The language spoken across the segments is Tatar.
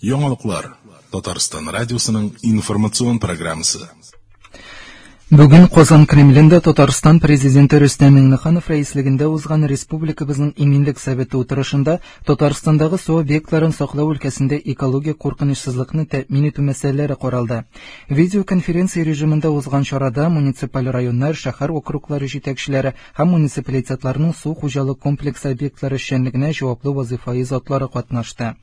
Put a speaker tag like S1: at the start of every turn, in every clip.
S1: Яңалыклар. Татарстан радиосының информацион программасы.
S2: Бүген Казан Кремлендә Татарстан Президенты Рөстәм Миңнеханов рәислегендә узган республикабызның Иминлек советы утырышында Татарстандагы су объектларын саклау өлкәсендә экологик куркынычсызлыкны тәэмин итү мәсьәләләре каралды. Видеоконференция режимында узган чарада муниципаль районнар, шәһәр округлары җитәкчеләре һәм муниципалитетларның су хуҗалык комплексы объектлары эшчәнлегенә җаваплы вазыйфаи затлары катнашты.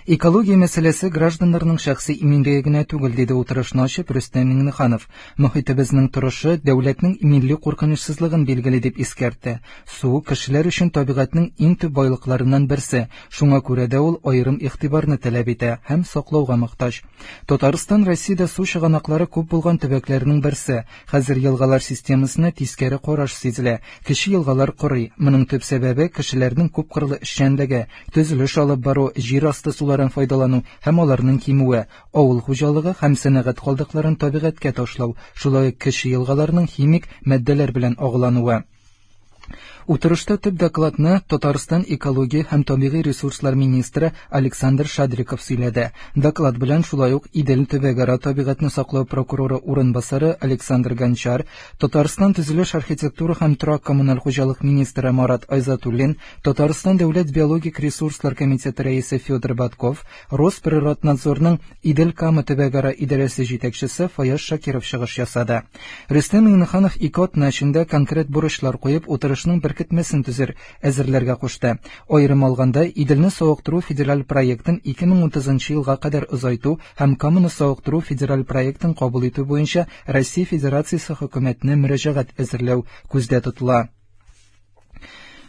S2: Экология мәсьәләсе гражданнарның шәхси иминлеге генә түгел, диде утырышны ачып Рөстәм Миңнеханов. Мохитебезнең торышы дәүләтнең милли куркынычсызлыгын билгели, дип искәртте. Су, кешеләр өчен табигатьнең иң төп байлыкларыннан берсе, шуңа күрә дә ул аерым игътибарны таләп итә һәм саклауга мохтаҗ. Татарстан Россиядә су чыганаклары күп булган төбәкләрнең берсе. Хәзер елгалар системасына тискәре караш сизелә. Кече елгалар корый. Моның төп сәбәбе кешеләрнең күпкырлы эшчәнлеге, төзелеш алып бару, җир асты суларын файдалану һәм аларның кимүе, авыл хуҗалыгы һәм сәнәгать калдыкларын табигатькә ташлау, шулай ук кече елгаларның химик матдәләр белән агулануы. Утырышта төп докладны Татарстан экология һәм табигый ресурслар министры Александр Шадриков сөйләде. Доклад белән шулай ук Идел төбәкара табигатьне саклау прокуроры урынбасары Александр Гончар, Татарстан төзелеш, архитектура һәм торак-коммуналь хуҗалык министры Марат Айзатуллин, Татарстан дәүләт биологик ресурслар комитеты рәисе Федор Батков, Росприроднадзорның Идел-Кама төбәкара идарәсе җитәкчесе Фаяз Шакиров чыгыш ясады. Рөстәм Миңнеханов ике атна эчендә конкрет бурычлар куеп, утырышның беркетмәсен төзер, әзерләргә кушты. Аерым алганда, Иделне савыктыру федераль проектын 2030 елга кадәр озайту һәм Каманы савыктыру федераль проектын кабул итү буенча Россия Федерациясе хөкүмәтенә мөрәҗәгать әзерләү күздә тотыла.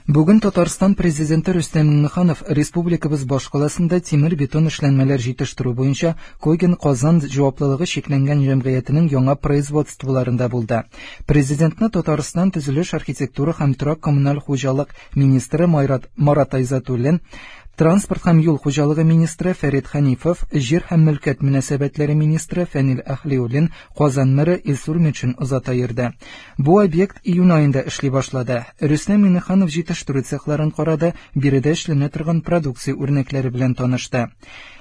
S2: Бүген Татарстан Президенты Рөстәм Миңнеханов республикабыз башкаласында тимер-бетон эшләнмәләр җитештерү буенча Когин Казан җаваплылыгы чикләнгән җәмгыятенең яңа производстволарында булды. Президентны Татарстан төзелеш, архитектура һәм торак-коммуналь хуҗалык министры Марат Айзатуллин, транспорт һәм юл хуҗалыгы министры Фәрит Хәнифов, җир һәм мөлкәт мөнәсәбәтләре министры Фәнил Әһлиуллин, Казан мэры Илсур Метшин озата йөрде. Бу объект июнь аенда эшли башлады. Рөстәм Миңнеханов җитештерү цехларын карады, биредә эшләнә торган продукция үрнәкләре белән танышты.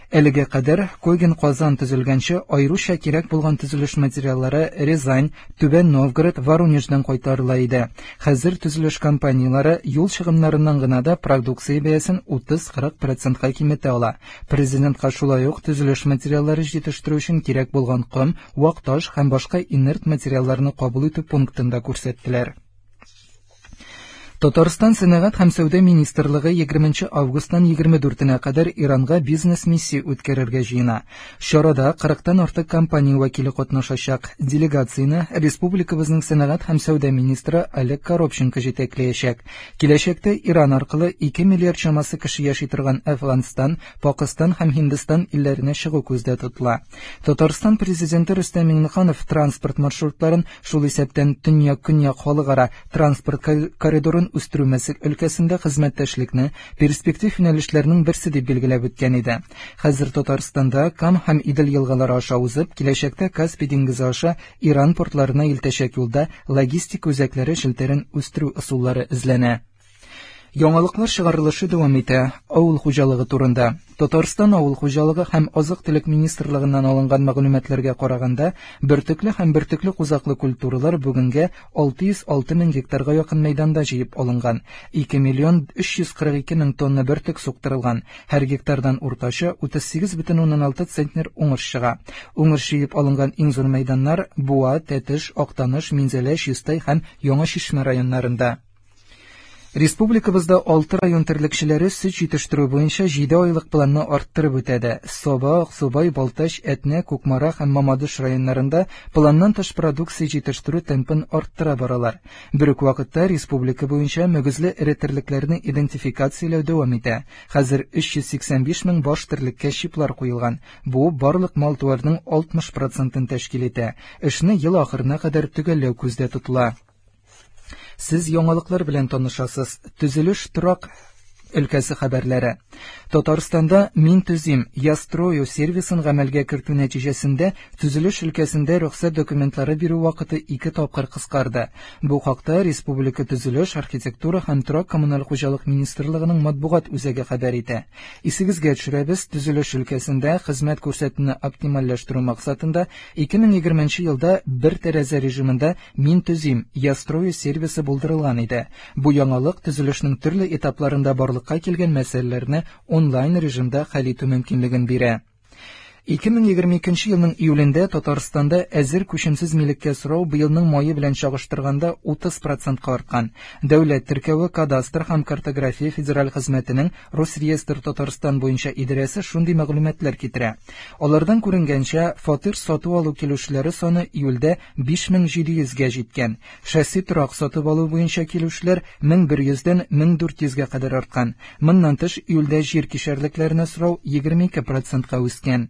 S2: Әлегә кадәр Когин Казан төзелгәнче аеруча кирәк булган төзелеш материаллары Рязань, Түбән Новгород, Воронеждан кайтарыла иде. Хәзер төзелеш компанияләре юл чыгымнарыннан гына да продукция бәясен 30-40 процентка киметә ала. Президентка шулай ук төзелеш материаллары җитештерү өчен кирәк булган ком, вак таш һәм башка инерт материалларны кабул итү пунктын да күрсәттеләр. Татарстан Сәнәгать һәм сәүдә министрлыгы 20 августтан 24-нә кадәр Иранга бизнес-миссия үткәрергә җыена. Чарада 40-тан артык компания вәкиле катнашачак. Делегацияне республикабызның сәнәгать һәм сәүдә министры Олег Коробченко җитәкләячәк. Киләчәктә Иран аркылы 2 миллиард чамасы кеше яши торган Әфганстан, Пакыстан һәм Һиндстан илләренә чыгу күздә тотыла. Татарстан Президенты Рөстәм Миңнеханов транспорт маршрутларын, шул исәптән Төньяк-Көньяк халыкара транспорт коридорын үстерү өлкәсендә хезмәттәшлекне перспектив юнәлешләрнең берсе дип билгеләп үткән иде. Хәзер Татарстанда Кам һәм Идел елгалары аша узып, киләчәктә Каспий диңгезе аша Иран портларына илтәчәк юлда логистика үзәкләре челтәрен үстерү ысуллары эзләнә. Яңалыклар чыгарылышы дәвам итә. Авыл хуҗалыгы турында. Татарстан Авыл хуҗалыгы һәм азык-төлек министрлыгыннан алынган мәгълүматларга караганда, бөртекле һәм бөртекле кузаклы культуралар бүгенгә 606 мең гектарга якын мәйданда җыеп алынган. 2 миллион 342 мең тонна бөртек суктырылган. Һәр гектардан уртача 38,6 центнер уңыш чыга. Уңыш җыеп алынган иң зур мәйданнар Буа, Тәтеш, Актаныш, Минзәлә, Чистай һәм Яңа Чишмә районнарында. Республикабызда 6 район терлекчеләре сөт җитештерү буенча 7 айлык планны арттырып үтәде. Саба, Аксубай, Балтач, Әтнә, Кукмара һәм Мамадыш районнарында планнан тыш продукция җитештерү темпын арттыра баралар. Бер үк вакытта республика буенча мөгезле эре терлекләрне идентификацияләү дәвам итә. Хәзер 385 мең баш терлеккә чиплар куелган. Бу барлык мал-туарның 60 процентын тәшкил итә. Эшне ел ахырына кадәр төгәлләү күздә тотыла. Сез яңалыклар белән танышасыз. Төзелеш торак Өлкәсе хәбәрләре. Татарстанда «Мин төзим, я строю» сервисын гамәлгә кертү нәтиҗәсендә төзелеш өлкәсендә рөхсәт документлары бирү вакыты ике тапкыр кыскарды. Бу хакта республика Төзелеш, архитектура һәм торак-коммуналь хуҗалык министрлыгының матбугат үзәге хәбәр итә. Исегезгә төшерәбез, төзелеш өлкәсендә хезмәт күрсәтүне оптимальләштерү максатында 2020 елда бер тәрәзә режимында «Мин төзим, я строю» сервисы булдырылган иде. Бу яңалык төзелешнең төрле этапларында барлыкка килгән мәсьәләләрне онлайн режимда хәл итү мөмкинлеген бирә. 2022 елның июлендә Татарстанда әзер күчемсез милеккә сорау быелның мае белән чагыштырганда 30%-ка арткан. Дәүләт теркәве, кадастр һәм картография федераль хезмәтенең Росреестр Татарстан буенча идарәсе шундый мәгълүматлар китерә. Алардан күренгәнчә, фатир сату алу килүчеләре саны июльдә 5700-гә җиткән. Шәхси торак сатып алу буенча килүчеләр 1100-дән 1400-гә кадәр арткан. Моннан тыш, июльдә җир кишәрлекләренә сорау 22%-ка үскән.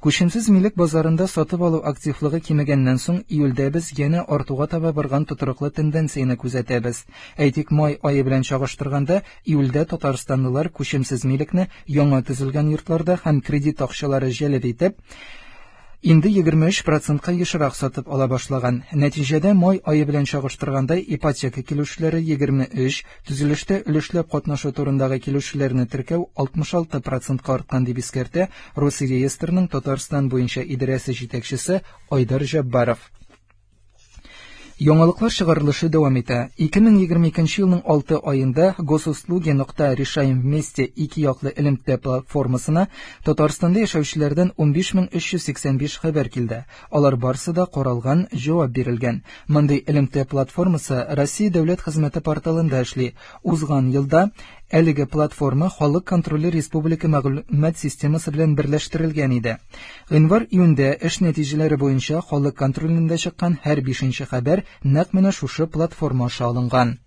S2: Күчемсез милек базарында сатып алу активлыгы кимегәннән соң июльдә без янә артуга таба барган тотрыклы тенденцияне күзәтәбез. Әйтик, май ае белән чагыштырганда, июльдә татарстанлылар күчемсез милекне яңа төзелгән йортларда һәм кредит акчалары җәлеп итеп, инде 23%-ка ешрак сатып ала башлаган. Нәтиҗәдә май ае белән чагыштырганда ипотека килүчеләре 23, төзелештә өлешләп катнашу турындагы килүчеләрне теркәү 66%-ка арткан, дип искәртә Росреестрның Татарстан буенча идарәсе җитәкчесе Айдар Җаббаров. Яңалыклар чыгарылышы дәвам итә. 2022 елның 6 аенда Госуслуги.Решаем вместе ике яклы элемтә платформасына Татарстанда яшәүчеләрдән 15385 хәбәр килде. Алар барсы да каралган, җавап бирелгән. Мондый элемтә платформасы Россия дәүләт хезмәте порталында эшли. Узган елда әлеге платформа Халык контроле республика мәгълүмат системасы белән берләштерелгән иде. Гыйнвар-июньдә эш нәтиҗәләре буенча Халык контролендә чыккан һәр 5-нче хәбәр нәкъ менә шушы платформа аша алынган.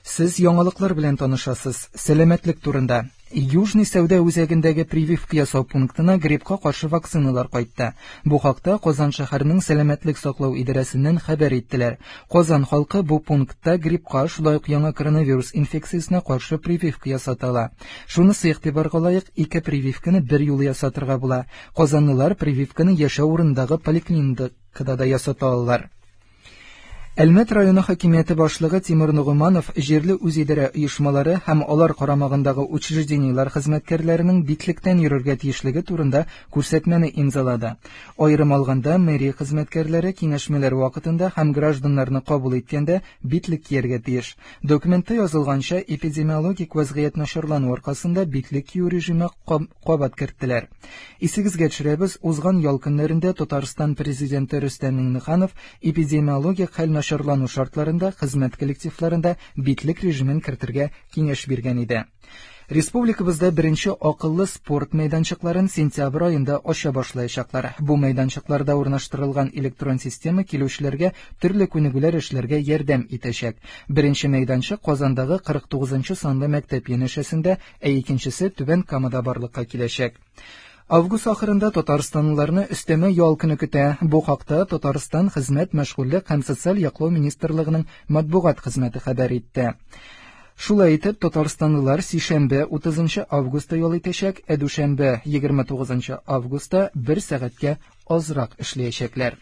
S2: Сез яңалыклар белән танышасыз. Сәламәтлек турында. Южный сәүдә үзәгендәге прививка ясау пунктына гриппка каршы вакциналар кайтты. Бу хакта Казан шәһәренең сәламәтлек саклау идарәсеннән хәбәр иттеләр. Казан халкы бу пунктта гриппка, шулай ук яңа коронавирус инфекциясенә каршы прививка ясата ала. Шунысы игътибарга лаек, ике прививканы бер юлы ясатырга була. Казанлылар прививканы яшәү урынындагы поликлиникада да ясата алалар. Әлмәт районы хакимияте башлыгы Тимур Нугуманов җирле үзидарә оешмалары һәм алар карамагындагы учреждениеләр хезмәткәрләренең битлектән йөрергә тиешлеге турында күрсәтмәне имзалады. Аерым алганда, мэрия хезмәткәрләре киңәшмәләр вакытында һәм гражданнарны кабул иткәндә битлек кияргә тиеш. Документта язылганча, эпидемиологик вазгыять начарлану аркасында битлек кию режимы кабат керттеләр. Исегезгә төшерәбез, узган ял көннәрендә Татарстан президенты Рөстәм Миңнеханов эпидемиологик хәл начарлану шартларында хезмәт коллективларында битлек режимын кертергә киңәш биргән иде. Республикабызда беренче акыллы спорт мәйданчыкларын сентябрь аенда ача башлаячаклар. Бу мәйданчыкларда урнаштырылган электрон система килүчеләргә төрле күнегүләр эшләргә ярдәм итәчәк. Беренче мәйданчык Казандагы 49 санлы мәктәп янәшәсендә, ә икенчесе Түбән Камада барлыкка киләчәк. Август ахырында татарстанлыларны өстәмә ял көне көтә. Бу хакта Татарстан Хезмәт, мәшгульлек һәм социаль яклау министрлыгының матбугат хезмәте хәбәр итте. Шулай итеп, татарстанлылар сишәмбе 30 августта ял итәчәк, ә дүшәмбе 29 августта бер сәгатькә азрак эшләячәкләр.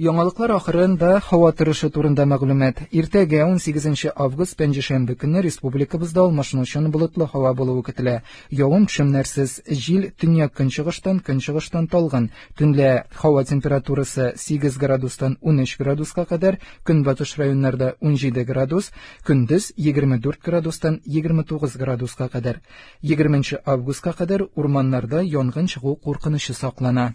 S2: Яңалыклар ахырында һава торышы турында мәгълүмат. Иртәгә 18 август пәнҗешәмбе көнне республикабызда алмашынучан болытлы һава булуы көтелә. Явым-төшемнәрсез, җил төньяк көнчыгыштан, көнчыгыштан талгын. Төнлә һава температурасы 8 градустан 13 градуска кадәр, көнбатыш районнарда 17 градус, көндез 24 градустан 29 градуска кадәр. 20 августка кадәр урманнарда янгын чыгу куркынычы саклана.